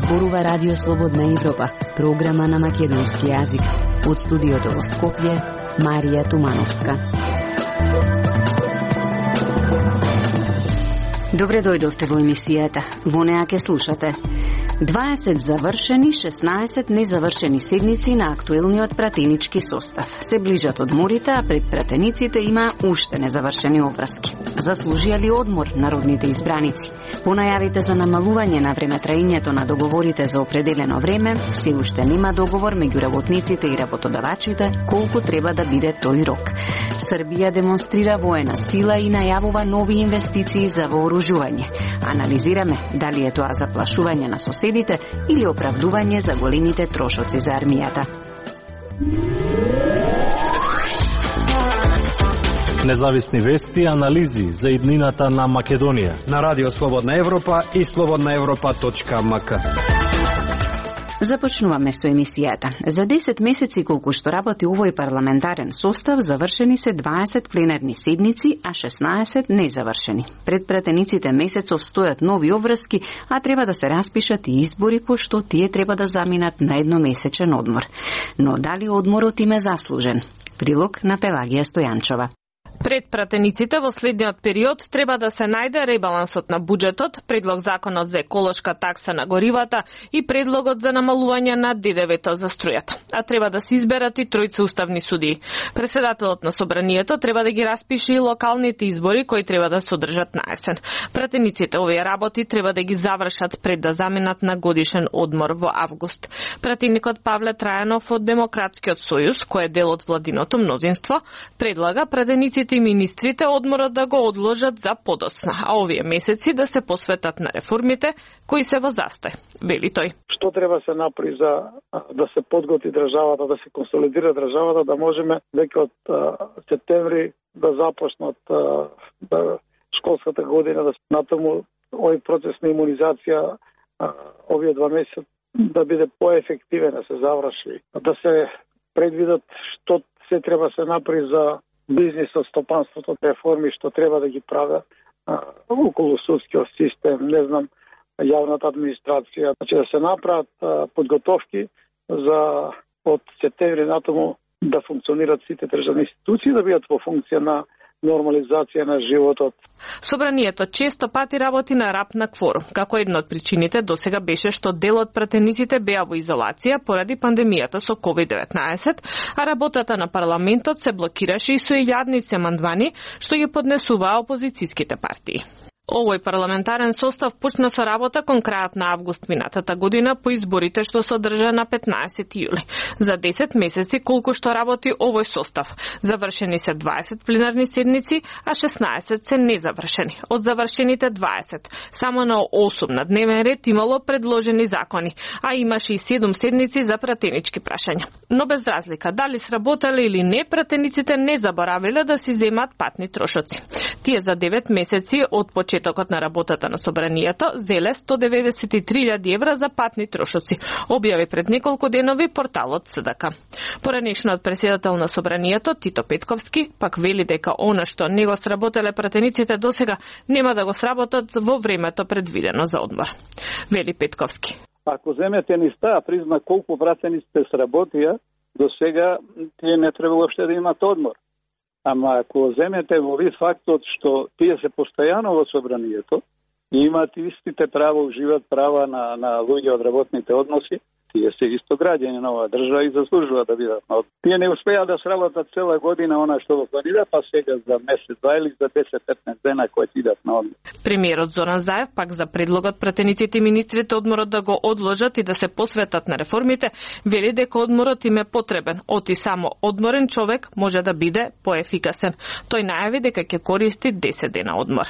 зборува Радио Слободна Европа, програма на македонски јазик. Од студиото во Скопје, Марија Тумановска. Добре дојдовте во емисијата. Во неа ке слушате 20 завршени, 16 незавршени седници на актуелниот пратенички состав. Се ближат одморите, а пред пратениците има уште незавршени обврски. Заслужија ли одмор народните избраници? По најавите за намалување на времетраењето на договорите за определено време, се уште нема договор меѓу работниците и работодавачите колку треба да биде тој рок. Србија демонстрира воена сила и најавува нови инвестиции за вооружување. Анализираме дали е тоа заплашување на соседите или оправдување за големите трошоци за армијата. Независни вести и анализи за иднината на Македонија на Радио Слободна Европа и slobodnaevropa.mk. Започнуваме со емисијата. За 10 месеци колку што работи овој парламентарен состав, завршени се 20 пленарни седници, а 16 незавршени. Пред пратениците месецов стојат нови обврски, а треба да се распишат и избори, пошто тие треба да заминат на едномесечен одмор. Но дали одморот им е заслужен? Прилог на Пелагија Стојанчова. Пред пратениците во следниот период треба да се најде ребалансот на буџетот, предлог законот за еколошка такса на горивата и предлогот за намалување на ДДВ-то за струјата. А треба да се изберат и тројца уставни судии. Преседателот на собранието треба да ги распише и локалните избори кои треба да се одржат на есен. Пратениците овие работи треба да ги завршат пред да заминат на годишен одмор во август. Пратеникот Павле Трајанов од Демократскиот сојуз, кој е дел од владиното мнозинство, предлага пратениците и министрите одморот да го одложат за подоцна, а овие месеци да се посветат на реформите кои се во застој, вели тој. Што треба се направи за да се подготви државата, да се консолидира државата, да можеме веќе од септември да започнат школската година, да натаму овој процес на имунизација овие 2 месеца да биде поефективен, да се заврши, да се предвидат што се треба се направи за бизнисот, стопанството, реформи што треба да ги прават околу судскиот систем, не знам, јавната администрација, значи да се направат подготовки за од септември натаму да функционираат сите државни институции, да бидат во функција на нормализација на животот. Собранието често пати работи на рап на кворум. Како една од причините досега беше што дел од пратениците беа во изолација поради пандемијата со COVID-19, а работата на парламентот се блокираше и со илјадници амандмани што ги поднесуваа опозицијските партии. Овој парламентарен состав почна со работа кон крајот на август минатата година по изборите што се одржа на 15 јули. За 10 месеци колку што работи овој состав. Завршени се 20 пленарни седници, а 16 се незавршени. Од завршените 20, само на 8 на дневен ред имало предложени закони, а имаше и 7 седници за пратенички прашања. Но без разлика дали сработале или не, пратениците не заборавиле да си земат патни трошоци. Тие за 9 месеци од почетокот на работата на собранието зеле 193.000 евра за патни трошоци, објави пред неколку денови порталот СДК. Поранешниот преседател на собранието Тито Петковски пак вели дека она што не го сработеле пратениците досега нема да го сработат во времето предвидено за одмор. Вели Петковски. Ако земете ниста призна колку пратениците сработија, досега тие не треба уопште да имат одмор. Ама ако земете во вид фактот што тие се постојано во собранието и имаат истите права, уживаат права на луѓе од работните односи, тие се исто граѓани на оваа држава и заслужуваат да бидат на одмор. Тие не успеа да сработат цела година она што го планира, па сега за месец-два или за 10-15 дена кои идат на одмор. Премиерот Зоран Заев пак за предлогот пратениците и министрите одморот да го одложат и да се посветат на реформите, вели дека одморот им е потребен. Оти само одморен човек може да биде поефикасен. Тој најави дека ќе користи 10 дена одмор.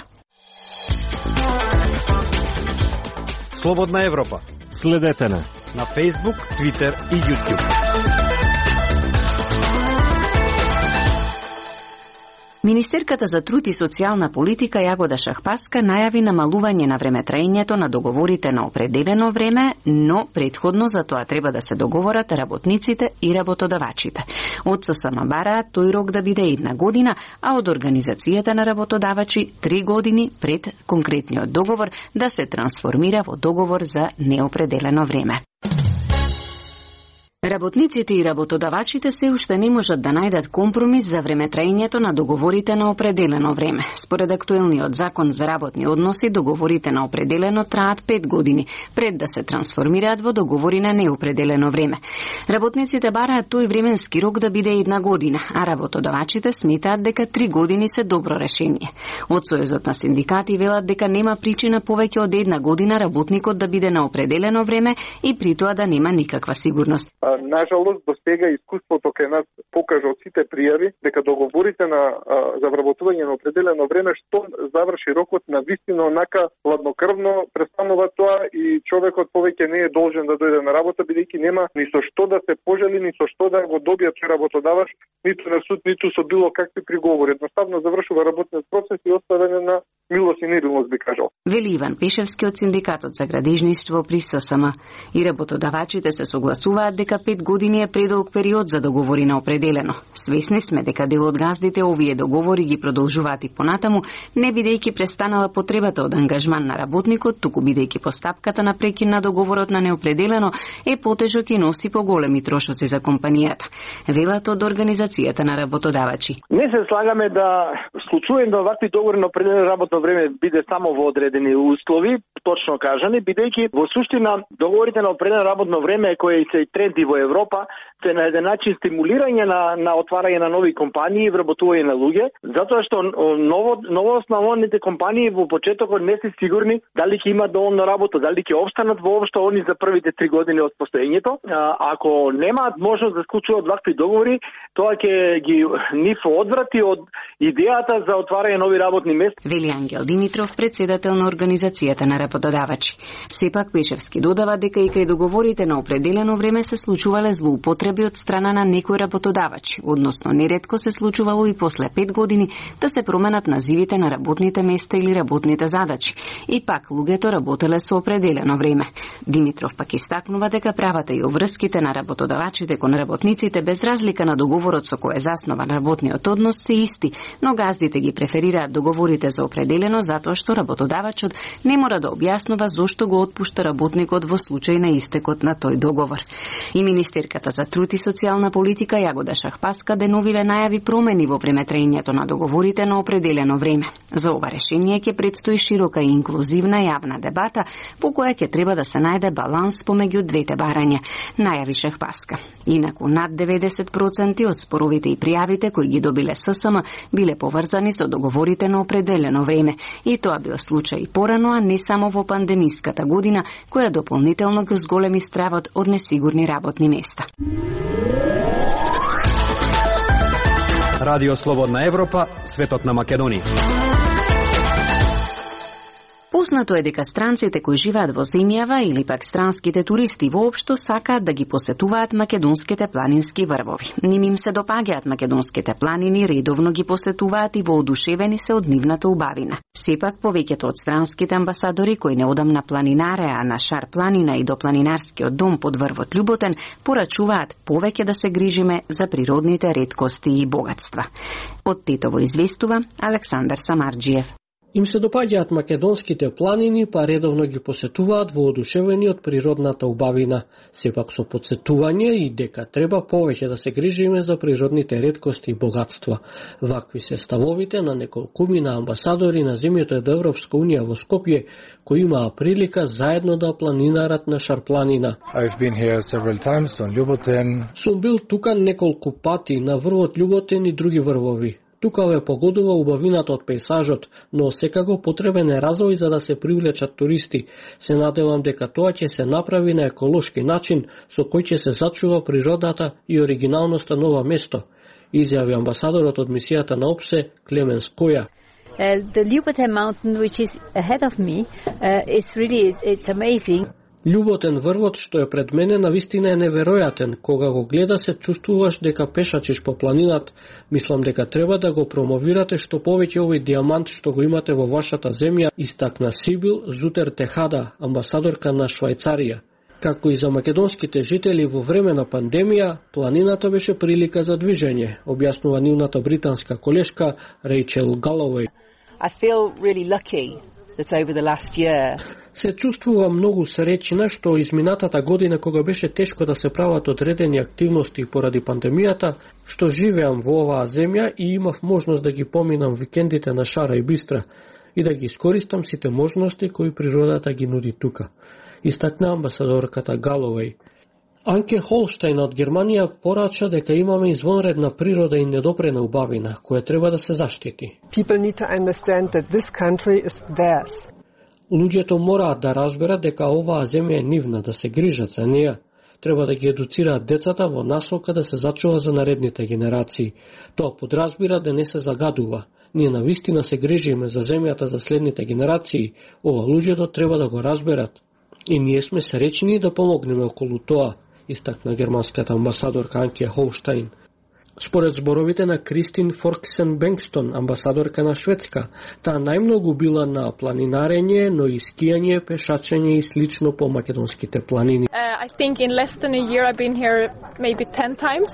Слободна Европа. Следете на Facebook, Twitter и YouTube. Министерката за труд и социјална политика Јагода Шахпаска најави намалување на времетраењето на договорите на определено време, но претходно за тоа треба да се договорат работниците и работодавачите. Од ССМ бараат тој рок да биде 1 година, а од Организацијата на работодавачи 3 години пред конкретниот договор да се трансформира во договор за неопределено време. Работниците и работодавачите се уште не можат да најдат компромис за времетраењето на договорите на определено време. Според актуелниот закон за работни односи, договорите на определено траат 5 години, пред да се трансформираат во договори на неопределено време. Работниците бараат тој временски рок да биде 1 година, а работодавачите сметаат дека 3 години се добро решение. Од Сојузот на синдикати велат дека нема причина повеќе од 1 година работникот да биде на определено време и при тоа да нема никаква сигурност. Нажалост, до сега искуството кај нас покажа од сите пријави дека договорите за вработување на определено време што заврши рокот на вистина онака ладнокрвно престанува тоа и човекот повеќе не е должен да дојде на работа бидејќи нема ни со што да се пожали, ни со што да го добија тој работодавач, ниту на суд, ниту со било какви приговори. Едноставно завршува работниот процес и оставање на милост и немилост, би кажал. Вели Иван Пешевски од Синдикатот за градежништво при ССМ. И работодавачите се согласуваат дека 5 години е предолг период за договори на определено. Свесни сме дека дел од газдите овие договори ги продолжуваат и понатаму, не бидејќи престанала потребата од ангажман на работникот, туку бидејќи постапката на прекин на договорот на неопределено е потежок и носи поголеми трошоци за компанијата. Велат од Организацијата на работодавачи. Не се слагаме да случување да вакви договори на определено работно време биде само во одредени услови, точно кажани, бидејќи во суштина договорите на определено работно време кои се тренди во Европа се на еден начин стимулирање на отварање на нови компании и вработување на луѓе, затоа што новооснованите компании во почетокот не се сигурни дали ќе имаат доволно работа, дали ќе опстанат воопшто они за првите 3 години од постоењето. Ако немаат можност да склучуваат вакви договори, тоа ќе ги нив одврати од идејата за отварање нови работни места. Вели Ангел Димитров, председател на Организацијата на работодавачи. Сепак Пешевски додава дека и кај договорите на определено време се случувале злоупотреби од страна на некои работодавачи, односно неретко се случувало и после 5 години да се променат називите на работните места или работните задачи. И пак луѓето работеле со определено време. Димитров пак истакнува дека правата и обврските на работодавачите кон работниците без разлика на договорот со кој е заснуван работниот однос се исти, но газдите ги преферираат договорите за определено затоа што работодавачот не мора да објаснува зошто го отпушта работникот во случај на истекот на тој договор. И Министерката за труд и социјална политика Јагода Шахпаска деновиве најави промени во времетраењето на договорите на определено време. За ова решение ќе предстои широка и инклузивна јавна дебата по која ќе треба да се најде баланс помеѓу двете барања, најави Шахпаска. Инаку над 90% од споровите и пријавите кои ги добиле ССМ биле поврзани со договорите на определено време и тоа бил случај и порано, а не само во пандемиската година која дополнително го зголеми стравот од несигурни работни места. Радио Слободна Европа, светот на Македонија. Познато е дека странците кои живеат во земјава или пак странските туристи воопшто сакаат да ги посетуваат македонските планински врвови. Ним им се допаѓаат македонските планини, редовно ги посетуваат и воодушевени се од нивната убавина. Сепак повеќето од странските амбасадори кои неодамна планинареа на Шар планина и до планинарскиот дом под врвот Љуботен порачуваат повеќе да се грижиме за природните реткости и богатства. Од Тетово известува Александар Самарџиев. Им се допаѓаат македонските планини, па редовно ги посетуваат воодушевени од природната убавина, сепак со подсетување и дека треба повеќе да се грижиме за природните реткости и богатства. Вакви се ставовите на неколкумина амбасадори на земјите од Европска унија во Скопје, кои имаа прилика заедно да планинарат на Шар планина. Сум бил тука неколку пати на врвот Љуботен и други врвови. Тука ве погодува убавината од пејзажот, но секако потребен е развој за да се привлечат туристи. Се надевам дека тоа ќе се направи на еколошки начин со кој ќе се зачува природата и оригиналноста на ова место, изјави амбасадорот од мисијата на ОПСЕ Клемен Скоја. The Љуботен mountain which is ahead of me it's amazing. Љуботен врвот што е пред мене навистина е неверојатен. Кога го гледа се чувствуваш дека пешачиш по планинат. Мислам дека треба да го промовирате што повеќе овој диамант што го имате во вашата земја, истакна Сибил Зутер Техада, амбасадорка на Швајцарија. Како и за македонските жители во време на пандемија, планината беше прилика за движење, објаснува нивната британска колешка Рейчел Галовеј. I feel really lucky that over the last year Се чувствува многу среќна што изминатата година, кога беше тешко да се прават одредени активности поради пандемијата, што живеам во оваа земја и имав можност да ги поминам викендите на Шара и Бистра и да ги искористам сите можности кои природата ги нуди тука, истакна амбасадорката Галовеј. Анке Холштайн од Германија порача дека имаме извонредна природа и недопрена убавина, која треба да се заштити. People need to understand that this country is theirs. Луѓето мораат да разберат дека оваа земја е нивна, да се грижат за неја. Треба да ги едуцираат децата во насока да се зачува за наредните генерации. Тоа подразбира да не се загадува. Ние навистина се грижиме за земјата за следните генерации. Ова луѓето треба да го разберат. И ние сме среќни да помогнеме околу тоа, истакна германската амбасадорка Анке Холштайн. Според зборовите на Кристин Форксен Бенгстон, амбасадорка на Шведска, таа најмногу била на планинарење, но и скијање, пешачење и слично по македонските планини. I think in less than a year I've been here maybe 10 times.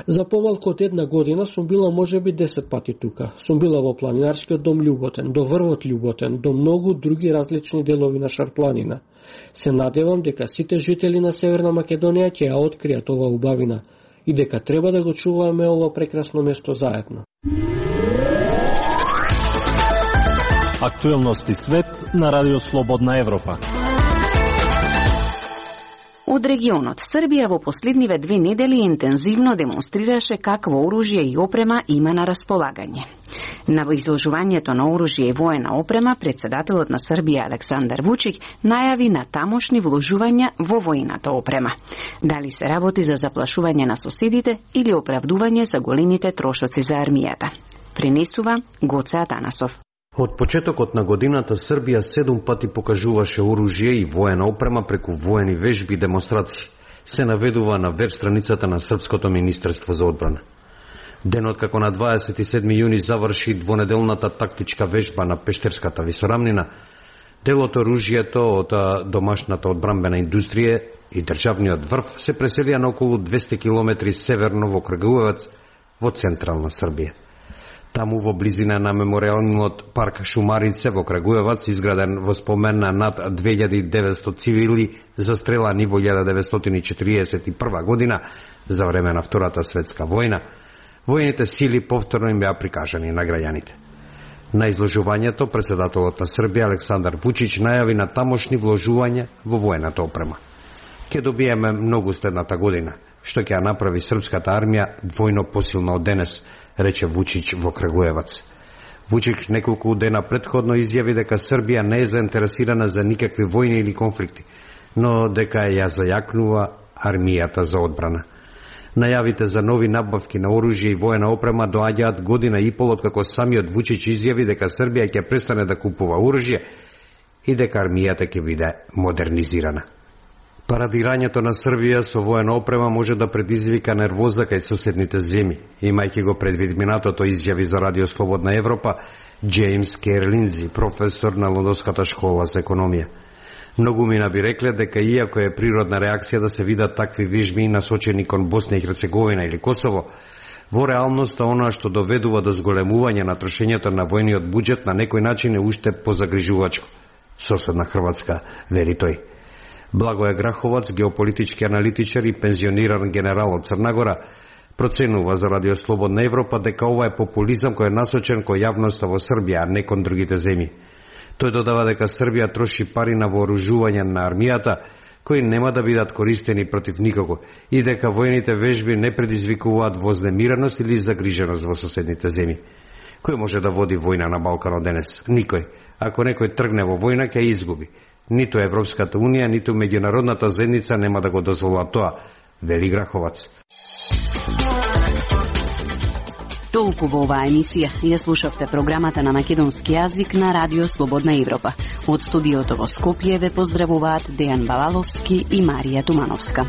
За помалку од една година сум била можеби 10 пати тука. Сум била во планинарскиот дом Љуботен, до врвот Љуботен, до многу други различни делови на Шарпланина. Се надевам дека сите жители на Северна Македонија ќе ја откријат ова убавина и дека треба да го чуваме ова прекрасно место заедно. Актуелности свет на Радио Слободна Европа. Од регионот, Србија во последниве 2 недели интензивно демонстрираше какво оружје и опрема има на располагање. На изложувањето на оружје и воена опрема, председателот на Србија Александар Вучиќ најави на тамошни вложувања во војната опрема. Дали се работи за заплашување на соседите или оправдување за големите трошоци за армијата. Пренесува Гоце Атанасов. Од почетокот на годината Србија 7 пати покажуваше оружје и воена опрема преку воени вежби и демонстрации. Се наведува на веб страницата на Српското министерство за одбрана. Денот како на 27 јуни заврши двонеделната тактичка вежба на Пештерската висорамнина, дел од оружјето од домашната одбранбена индустрија и државниот врв се преселија на околу 200 километри северно во Крагуевац во централна Србија. Таму во близина на мемориалниот парк Шумарице во Крагуевац, изграден во спомен на над 2900 цивили застрелани во 1941 година за време на Втората светска војна, војните сили повторно им беа прикажани на граѓаните. На изложувањето председателот на Србија Александар Вучиќ најави на тамошни вложувања во воената опрема. Ке добиеме многу следната година, што ќе ја направи српската армија двојно посилна од денес, рече Вучиќ во Крагуевац. Вучиќ неколку дена претходно изјави дека Србија не е заинтересирана за никакви војни или конфликти, но дека ја зајакнува армијата за одбрана. Најавите за нови набавки на оружје и воена опрема доаѓаат година и пол откако самиот Вучиќ изјави дека Србија ќе престане да купува оружје и дека армијата ќе биде модернизирана. Парадирањето на Србија со воена опрема може да предизвика нервоза кај соседните земји, имајќи го предвид минатото изјави за Радио Слободна Европа Джеймс Керлинзи, професор на Лондонската школа за економија. Многумина би рекле дека иако е природна реакција да се видат такви вежби насочени кон Босна и Херцеговина или Косово, во реалноста она што доведува до зголемување на трошењето на војниот буџет на некој начин е уште позагрижувачко. Соседна Хрватска, вели тој. Благоје Граховац, геополитички аналитичар и пензиониран генерал од Црнагора, проценува за Радио Слободна Европа дека ова е популизам кој е насочен кон јавноста во Србија, а не кон другите земји. Тој додава дека Србија троши пари на вооружување на армијата, кои нема да бидат користени против никого, и дека војните вежби не предизвикуваат вознемиреност или загриженост во соседните земји. Кој може да води војна на Балканот денес? Никој. Ако некој тргне во војна, ќе изгуби. Ниту Европската Унија, ниту меѓународната заедница нема да го дозволат тоа, вели Граховац. Толку во оваа емисија. Ја слушавте програмата на македонски јазик на Радио Слободна Европа. Од студиото во Скопје ве поздравуваат Дејан Балаловски и Марија Тумановска.